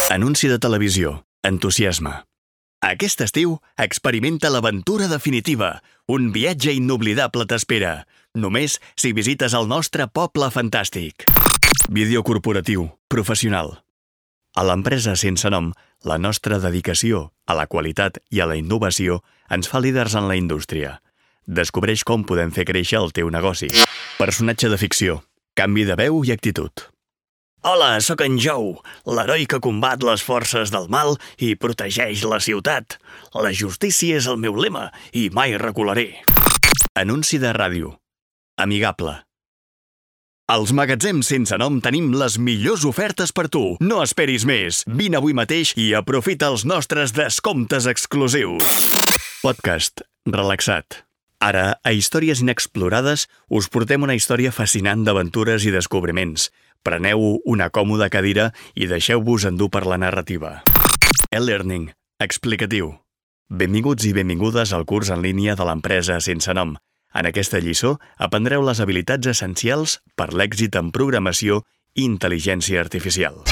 Anunci de televisió. Entusiasme. Aquest estiu, experimenta l'aventura definitiva. Un viatge inoblidable t'espera. Només si visites el nostre poble fantàstic. Vídeo corporatiu. Professional. A l'empresa sense nom, la nostra dedicació a la qualitat i a la innovació ens fa líders en la indústria. Descobreix com podem fer créixer el teu negoci. Personatge de ficció. Canvi de veu i actitud. Hola, sóc en Joe, l'heroi que combat les forces del mal i protegeix la ciutat. La justícia és el meu lema i mai recularé. Anunci de ràdio. Amigable. Als magatzems sense nom tenim les millors ofertes per tu. No esperis més. Vine avui mateix i aprofita els nostres descomptes exclusius. Podcast. Relaxat. Ara, a Històries Inexplorades, us portem una història fascinant d'aventures i descobriments. Preneu una còmoda cadira i deixeu-vos endur per la narrativa. E-Learning. Explicatiu. Benvinguts i benvingudes al curs en línia de l'empresa sense nom. En aquesta lliçó aprendreu les habilitats essencials per l'èxit en programació i intel·ligència artificial.